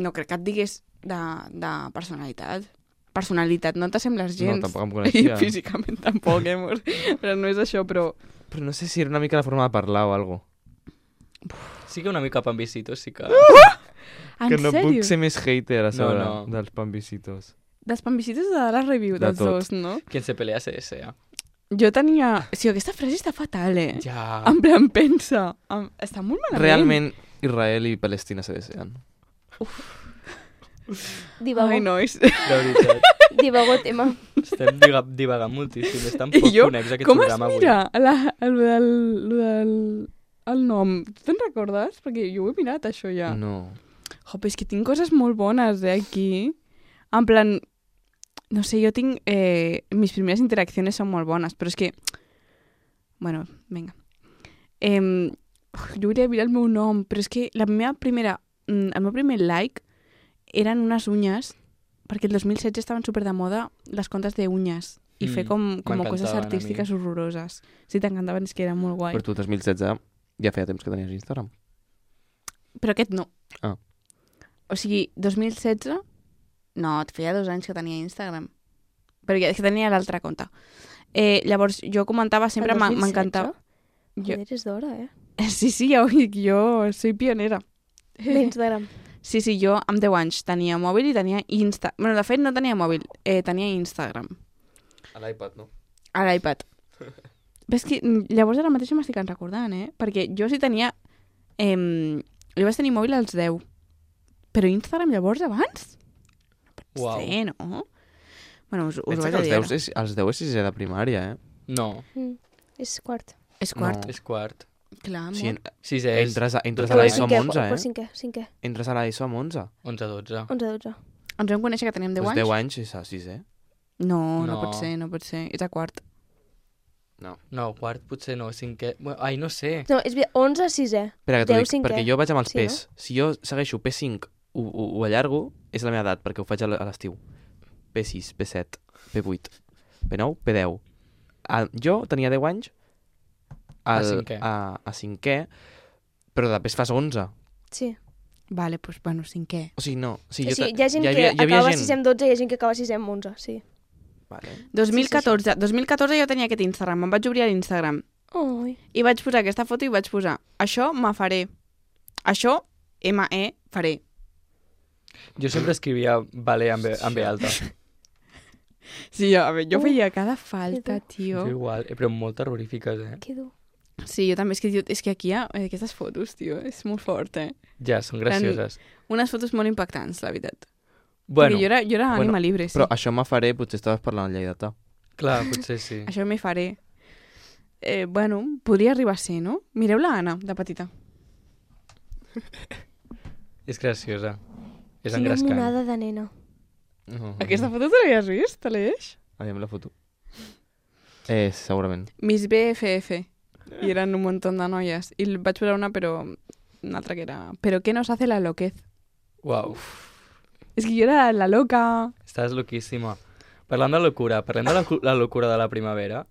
no crec que et digués de personalitat. Personalitat, no t'assembles No, gens. tampoc em I coneixia. físicament tampoc, amor. Però no és això, però... Però no sé si era una mica la forma de parlar o alguna Sí que una mica pambicitos, sí que... En Que no sèrio? puc ser més hater a sobre No. dels pambicitos. Dels pambicitos o de la review, De dels tot. dos, no? Quien se pelea se desea. Jo tenia... Sí, aquesta frase està fatal, Ja. En plan, pensa. Està molt malament. Realment, Israel i Palestina se deseen. Divago. Ai, nois. De veritat. Divago tema. Estem divagant moltíssim. És tan I poc jo, connex aquest com es programa avui. mira el nom? Tu te'n recordes? Perquè jo ho he mirat, això ja. No. Jo, però és que tinc coses molt bones, aquí. En plan, no sé, jo tinc... mis primeres interacciones són molt bones, però és que... Bueno, vinga. Jo hauria de mirar el meu nom, però és que la meva primera... el meu primer like eren unes unyes, perquè el 2016 estaven super de moda les comptes d'unyes i fer com coses m'encantaven a artístiques horroroses. Sí, t'encantaven, és que era molt guai. Per tu, 2016, ja feia temps que tenies Instagram. Però aquest no. Ah. O sigui, 2016... No, et feia 2 anys que tenia Instagram. Però ja és que tenia l'altre compte. Llavors, jo comentava sempre... El 2016? M'encantava... Joder, és d'hora, Sí, ja ho dic, jo soy pionera. D'Instagram. Sí, jo amb 10 anys tenia mòbil i tenia Insta... Bueno, de fet, no tenia mòbil, tenia Instagram. A l'iPad, no? A l'iPad. Ves que llavors ara mateix m'estic recordant, Perquè jo sí tenia... jo vaig tenir mòbil als 10. Però Instagram llavors abans? Uau. Sí, no? Bueno, us ho Pensa vaig que a els dir 10 els 10 és sisè de primària, No, És quart. És quart. No. és quart. Clar, amor. Sí, Sisè és entres a Però l'ESO amb cinquè, 11, per cinquè. Entres a l'ESO amb 11. 11-12. 11-12. Ens vam conèixer que teníem 10 Doncs anys? 10 anys és a 6è. No, no No. pot ser, no pot ser. És a quart. No, quart potser no, cinquè... Bueno, ai, no sé. No, és 11 6è. Espera, que t'ho 10 dic, cinquè. perquè jo vaig amb els Sí, P's. Si jo segueixo P5, ho allargo, és la meva edat, perquè ho faig a l'estiu. P6, P7, P8, P9, P10. Jo tenia 10 anys A cinquè. a cinquè, però després fas 11. Sí. Vale, doncs, bueno, cinquè. O sigui, no. O sigui, Sí, hi ha gent que acaba 6è amb 12 i hi ha gent que acaba 6è amb 11, sí. Vale. 2014 jo tenia aquest Instagram, em vaig obrir a l'Instagram. Ai. I vaig posar aquesta foto i vaig posar això me faré. Això, M-E, faré. Jo sempre escrivia vale amb B alta. Sí, a veure, jo feia cada falta, tio. Jo igual, però molt terrorífiques, Que dur. Sí, jo també, és que aquí hi ha aquestes fotos, tio, és molt fort, Ja, són gracioses. Unes fotos molt impactants, la veritat. Bueno, Perquè jo era ànima libre, sí. Però això me faré, potser estaves parlant en lleidatà. clar, potser sí. Això m'hi faré. Bueno, podria arribar a ser, no? Mireu la Anna, de petita. És graciosa. És Quina engrescant. monada de nena. Aquesta foto te l'havies vist, Aleix? Aviam la foto. Segurament. Miss BFF. I eren un munt de noies. I vaig posar una, però... Una altra que era... Però què nos hace la loquez? Uau, És que jo era la loca. estàs loquíssima. Parlant de locura, parlem de la locura de la primavera,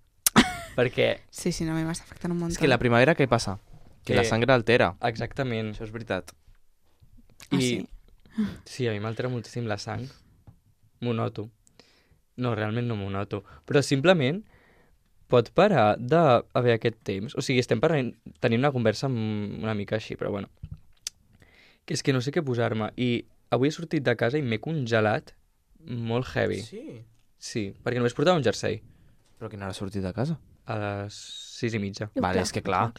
perquè, Sí, no, a mi m'està afectant un munt. És que la primavera què passa? Que la sangre altera. exactament, Això és veritat. Ah, i sí? sí, a mi m'altera moltíssim la sang. M'ho noto. No, realment no m'ho noto. Però simplement pot parar d'haver aquest temps. O sigui, estem tenint una conversa una mica així, però bueno. Que és que no sé què posar-me. I avui he sortit de casa i m'he congelat molt heavy. Sí. Sí, perquè només portava un jersei Però quina hora has sortit de casa? a les 6:30. Vale, és que clar.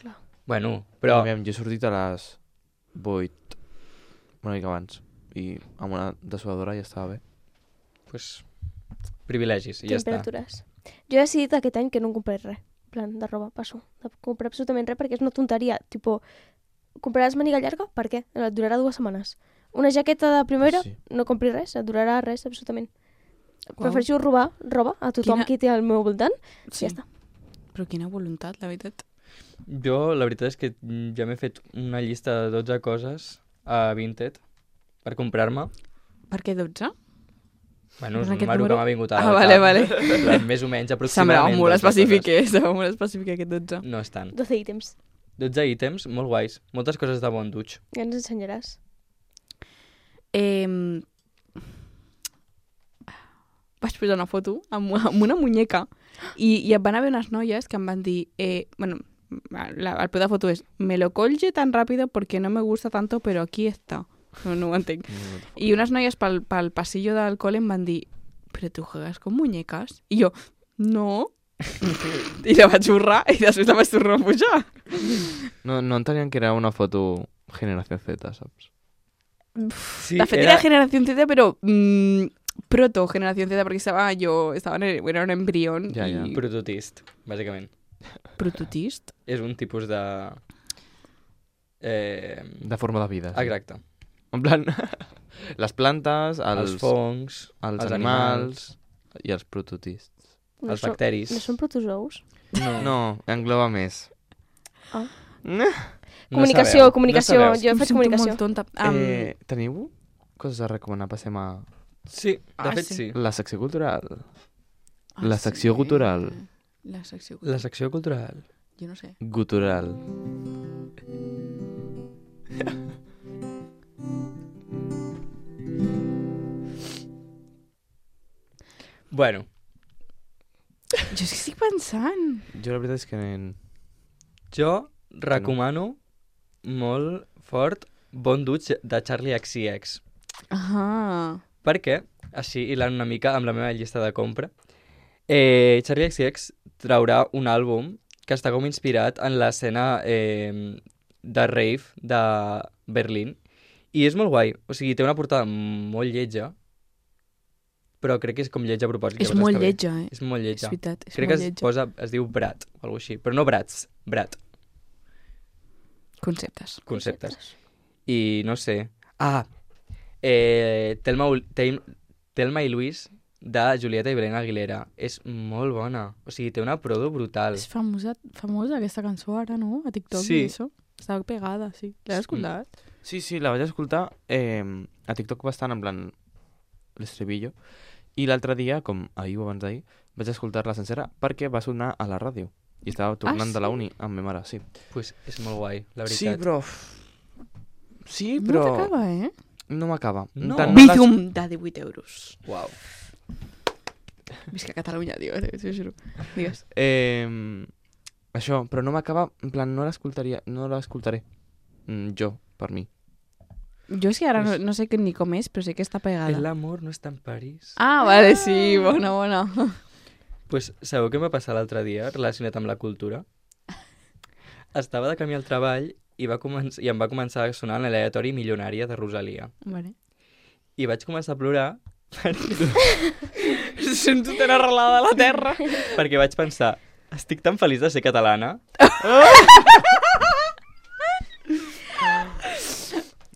Bueno, Però... però... Jo he sortit a les 8, una mica abans. I amb una dessuadora ja estava bé. pues, privilegis, i ja està. Temperatures. Jo he decidit aquest any que no em compraré res. En plan, de roba, passo. De comprar absolutament res perquè és una tonteria. Tipo, compraràs màniga llarga? Per què? Et durarà 2 setmanes. Una jaqueta de primavera? Sí. No compris res, et durarà res, absolutament. Uau. Prefereixo robar roba a tothom qui té al meu voltant. Sí. Ja està. Però quina voluntat, la veritat. Jo, la veritat és que ja m'he fet una llista de 12 coses a Vinted per comprar-me. Per què 12? Bueno, és En un aquest número que número? m'ha vingut a... Ah, vale. En plan, més o menys, Semblava aproximadament. molt 12 coses. específic aquest 12. No és tant. 12 ítems. 12 ítems, molt guais. Moltes coses de bon dutx. Ja ens ensenyaràs. Vaig posar una foto amb una muñeca i van haver unes noies que em van dir bueno, el peu de foto és me lo colge tan rápido porque no me gusta tanto pero aquí está. No ho entenc. I unes noies pel passillo del col·le em van dir però tu juegas con muñecas? I jo, no. I la vaig borrar i després la vaig tornar a pujar. No entenien que era una foto Generació Z, saps? Sí, De fet, era Generación Z, però proto Generación Z, perquè era un embrión. Ja. I... prototist, bàsicament. Prototist? És un tipus de... De forma de vida. Sí. Exacte. En plan, les plantes, Els fongs, els els animals i els prototists. No els són- bacteris. No són protozous? No, engloba més. Ah. No Comunicació, sabeu, comunicació. no sabeu. Jo he Em fet sento comunicació. molt tonta. Teniu coses a recomanar? Passem a Sí, de fet sí. sí. la secció cultural. La secció gutural. La secció La secció cultural. Jo no sé. Gutural. Bueno, Jo és que estic pensant. Jo la veritat és que... jo recomano molt fort Bon Dutx de Charlie XCX. Ah. Perquè, així hilant una mica amb la meva llista de compra, Charlie XCX traurà un àlbum que està com inspirat en l'escena de rave de Berlín. I és molt guai. O sigui, té una portada molt lletja, però crec que és com lletja a propòsit. És llavors molt està bé. lletja, És molt És lletja. veritat, és Crec que molt lletja. es diu Brat, o alguna així. Però no Brats, Brat, Conceptes. conceptes. I no sé... Ah, Telma i Luis, de Julieta i Belén Aguilera. És molt bona. O sigui, té una prodo brutal. És famosa aquesta cançó ara, no? A TikTok Sí. i això. Està pegada, sí. L'has escoltat? Sí, la vaig escoltar a TikTok bastant, en plan l'estribillo. I l'altre dia, com ahir o abans d'ahir, vaig escoltar-la sencera perquè va sonar a la ràdio. I estava tornant de la uni amb ma mare, sí. Pues és molt guai, la Sí, veritat. però... Sí, però... No t'acaba, eh? No m'acaba. No. Bizum de 18 euros. Uau. Visca Catalunya, tio, t'ho juro. Digues. Això, però no m'acaba, en plan, no l'escoltaré. Jo, per mi. Jo és que ara no sé ni com és, però sé que està pegada. El amor no està en París. Ah, vale, sí, bona. Pues sabeu què em va passar l'altre dia relacionat amb la cultura? Estava de camí al treball i em va començar a sonar l'aleatori Milionària de Rosalia. Vale. I vaig començar a plorar Sento tan arrelada a la terra. perquè vaig pensar, estic tan feliç de ser catalana.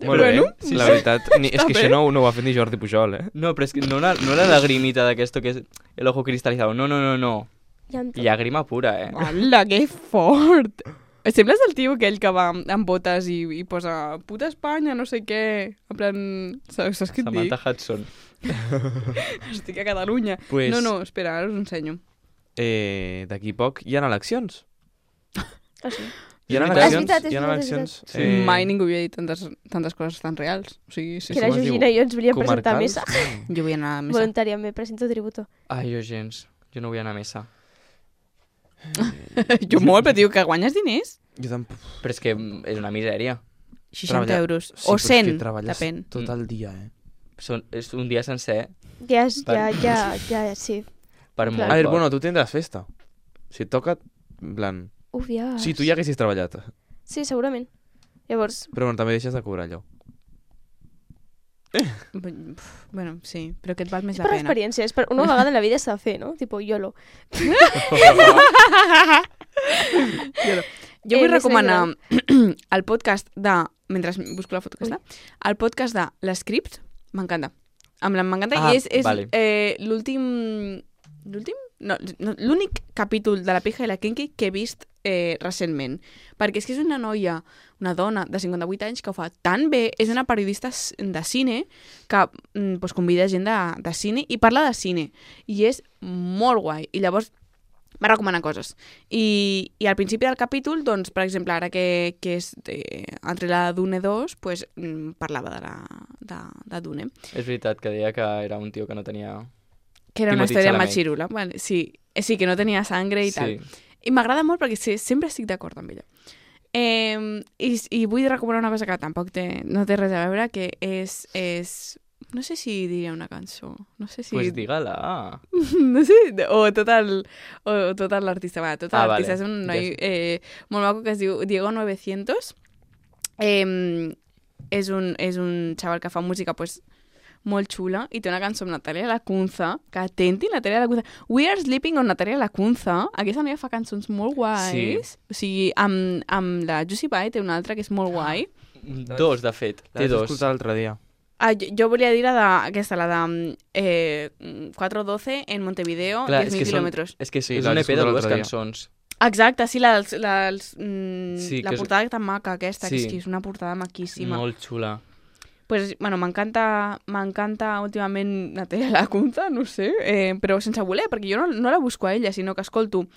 Molt Bueno, bé, la veritat. És que bé. això no ho ha fet ni Jordi Pujol, No, però és que no la lagrimita d'aquesto que és el ojo cristalizado. No. Ja entenc. Llàgrima pura, Hola, que fort. Sembles el tio aquell que va amb botes i posa puta Espanya, no sé què. En plan, saps què et dic? Samantha Hudson. Estic a Catalunya. Pues- No, espera, ara us ho ensenyo. D'aquí poc hi ha eleccions. Ah, sí. Hi ha És eleccions, veritat, és hi ha veritat, és eleccions. veritat. Mai ningú havia dit tantes coses tan reals. O sigui, sí, Que la com es diu? Georgina i jo ens volíem presentar a Comarcals? missa. Jo vull anar a missa. Voluntàriament, presento tributo. Ai, jo gens. Jo no vull anar a missa. Jo molt, però tio, que guanyes diners? Jo tampoc... Però és que és una misèria. 60 Treballar- euros. Sí, O però és que 100, treballes depèn. tot el dia, És un dia sencer Ja, sí. per Clar. molt A veure, poc. bueno, tu tindràs festa. Si et toca, en plan... Uf, ja. Si tu ja haguessis treballat. Sí, segurament. Llavors, Però bueno, també deixes de cobrar allò. Bueno, sí, però que et val més És la per pena. experiència, és per una vegada en la vida s'ha de fer, no? Tipo, YOLO. Jo vull més recomanar el podcast de... Mentre busco la foto que està. El podcast de l'Script, m'encanta. M'encanta Ah, i és vale. l'últim... L'últim? No, l'únic capítol de La pija i la Kinky que he vist recentment. Perquè és que és una noia, una dona de 58 anys que ho fa tan bé. És una periodista de cine que pues, convida gent de cine i parla de cine. I és molt guai. I llavors va recomanar coses. I al principi del capítol, doncs, per exemple, ara que és entre la Dune 2, pues, parlava de Dune. És veritat que deia que era un tio que no tenia... Que era una Timothy història Chalamet. machirula. Vale, sí, que no tenia sangre i tal. I m'agrada molt perquè sempre estic d'acord amb ella. I vull recomanar una cosa que tampoc no té res a veure, que és... No sé si diria una cançó. No sé si... Pues digue-la. No sé, o tot l'artista. Va, tot Ah, l'artista vale. és un Ja noi molt maco que es diu Diego 900. És un xaval que fa música pues, molt xula i té una cançó amb Natalia Lacunza, que atenti, Natalia Lacunza. We Are Sleeping on Natalia Lacunza. Aquesta noia fa cançons molt guais. O sigui, amb la Juicy Pie té una altra que és molt guai. Dos, de fet. La Té vaig dos. escoltar l'altre dia. Jo volia dir aquesta, la de 412 en Montevideo, Clar, 10.000 quilòmetres. És que Sí, és la un vaig EP de escoltar dues l'altre dia. E cançons. Exacte, sí, Sí, la que és- portada tan maca aquesta, que Sí. és que és una portada maquíssima. Molt xula. Pues, bueno, m'encanta últimament Natalia Lacunza, no sé, però sense voler, perquè jo no la busco a ella, sinó que escolto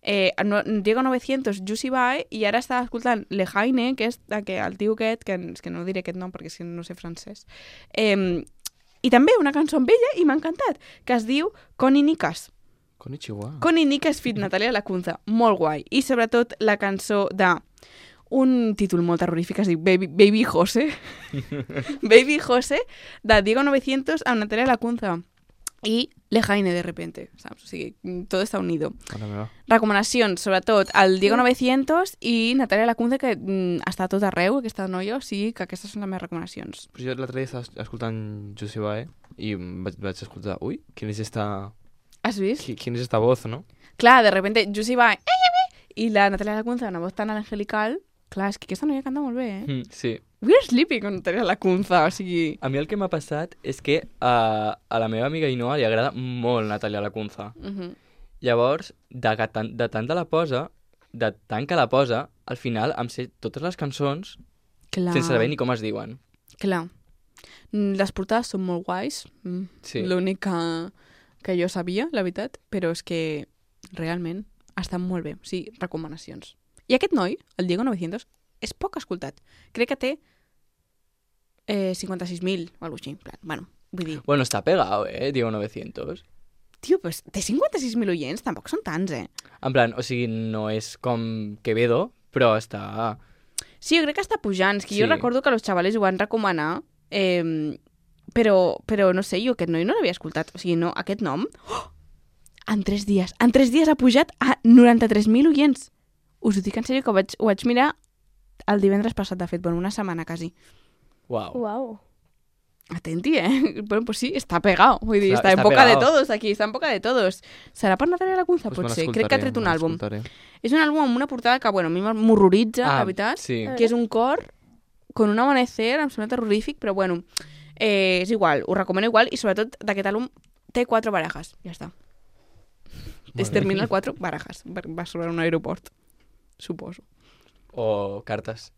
Diego 900, Juicy Bye, i ara estava escoltant Le Jaine, que és el tio aquest, és que no diré aquest nom perquè és que no sé francès, i també una cançó amb ella, i m'ha encantat, que es diu Connie Nicas. Konnichiwa. Connie Nicas fit Natalia Lacunza, molt guai. I sobretot la cançó de un títol molt terrorífic, es diu Baby José. Baby José, de Diego 900 amb Natalia Lacunza. I Le Jaine, de repente, saps? O sigui, tot està unido. Mare meva. Recomanacions, sobretot, el Diego 900 i Natalia Lacunza, que està a tot arreu, aquesta noia, o sigui que aquestes són les meves recomanacions. Però jo l'altre dia estava escoltant Juicy Bae i vaig escoltar, ui, ¿quién es esta Has vist? ¿Quién es esta voz, no? Clar, de repente, Juicy va... I la Natalia Lacunza, una voz tan angelical... Clar, és que aquesta noia canta molt bé, eh? Sí. We're sleeping con Natalia Lacunza, o sigui... A mi el que m'ha passat és que a la meva amiga Inoa li agrada molt Natalia Lacunza. Llavors, de tant de la posa, de tant que la posa, al final em sé totes les cançons Clar. sense saber ni com es diuen. Clar. Les portades són molt guais. Sí. L'únic que jo sabia, la veritat, però és que realment estan molt bé. O sigui, recomanacions. I aquest noi, el Diego 900, és poc escoltat. Crec que té 56.000 o alguna cosa així. En plan, bueno, vull dir... Bueno, està pegado, Diego 900. Tio, pues té 56.000 oients, tampoc són tants, eh? En plan, o sigui, no és com Quevedo, però està... Sí, jo crec que està pujant. És que jo Sí. recordo que els xavales ho van recomanar, però no sé, jo aquest noi no l'havia escoltat. O sigui, no, aquest nom... Oh! En 3 dies ha pujat a 93.000 oients. Us ho dic en sèrio que ho vaig mirar el divendres passat, de fet, bueno, una setmana quasi. Uau. Uau. Atenti, eh? Bueno, pues sí, está pegado. Vull dir, Està està en boca de pegado. todos aquí, està en boca de todos. Serà per Natalia Lacunza? Pues me Potser. l'escoltaré, Crec que ha tret un me àlbum. l'escoltaré. És un àlbum amb una portada que, bueno, a mi m'horroritza, la veritat. Sí. Que és un cor con un amanecer, em sembla terrorífic, però bueno, és igual, ho recomano igual, i sobretot d'aquest àlbum té 4 barajes, ja està. Es termina el 4 barajes, va sobre un aeroport, suposo. O cartes.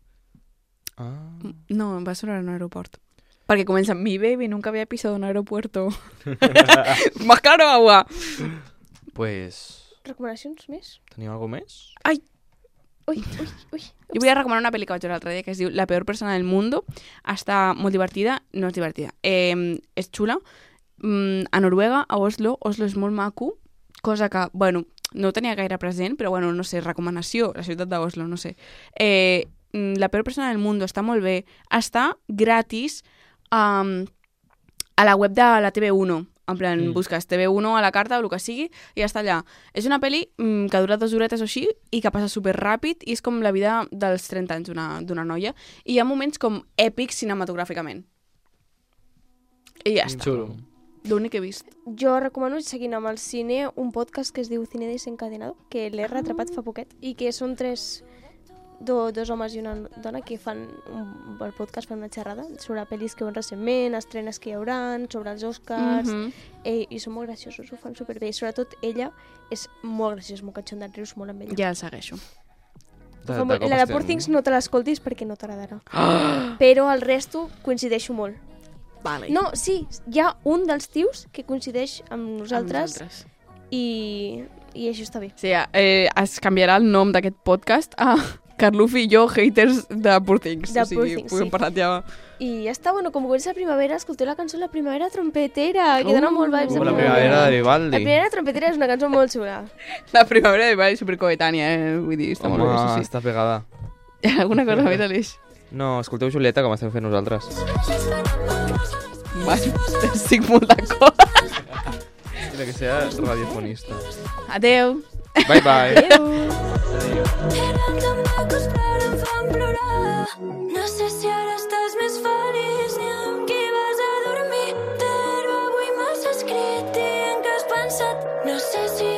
Ah. No, va sobre un aeroport. Perquè comença, mi baby nunca había pisado un aeropuerto. Más claro agua. Pues... Recomanacions més? Teniu alguna més? Ui. Jo volia recomanar una pel·li que vaig veure l'altre dia que es diu La peor persona del mundo. Està molt divertida, no és divertida. És xula. A Noruega, a Oslo és molt maco, cosa que, bueno, no ho tenia gaire present, però bueno, no sé, recomanació, la ciutat d'Oslo, no sé. La peor persona del mundo està molt bé. Està gratis a la web de la TV1. En plan, busques TV1 a la carta o el que sigui i ja està allà. És una pel·li que dura 2 horetes o així i que passa superràpid i és com la vida dels 30 anys d'una noia. I hi ha moments com èpics cinematogràficament. I ja està. Xulo. L'únic que he vist. Jo recomano, seguint amb el cine, un podcast que es diu Cine Desencadenado, que l'he retrapat fa poquet, i que són dos homes i una dona que fan el podcast, fan una xerrada sobre pel·lis que veuen recentment, estrenes que hi haurà, sobre els Oscars, i són molt graciosos, ho fan superbé. I sobretot ella és molt graciosa, molt catxonda, et rius molt amb ella. Ja el segueixo. La de Poor Things no te l'escoltis perquè no t'agradarà. Però el resto coincideixo molt. Vale. No, sí, hi ha un dels tios que coincideix amb nosaltres, i això està bé. Sí, es canviarà el nom d'aquest podcast a Carlufi i jo, haters de Poor Things. De Poor Things, hem sí. parlat ja... I ja està, bueno, com comença la primavera, escolteu la cançó La primavera trompetera, que dona molt vibes. La primavera de Vivaldi. La primavera trompetera és una cançó molt xula. La primavera de Vivaldi és supercoetània, vull dir, està molt bé, Home, sí. està pegada. Hi ha alguna cosa més, Aleix? No, escolteu Julieta, com estem fent nosaltres. Vale, estic molt d'acord. Mira, que sea radiofonista. Adeu. Bye, bye. No sé si ara estàs més feliç ni amb qui vas a dormir, però avui m'has escrit dient que has pensat. No sé si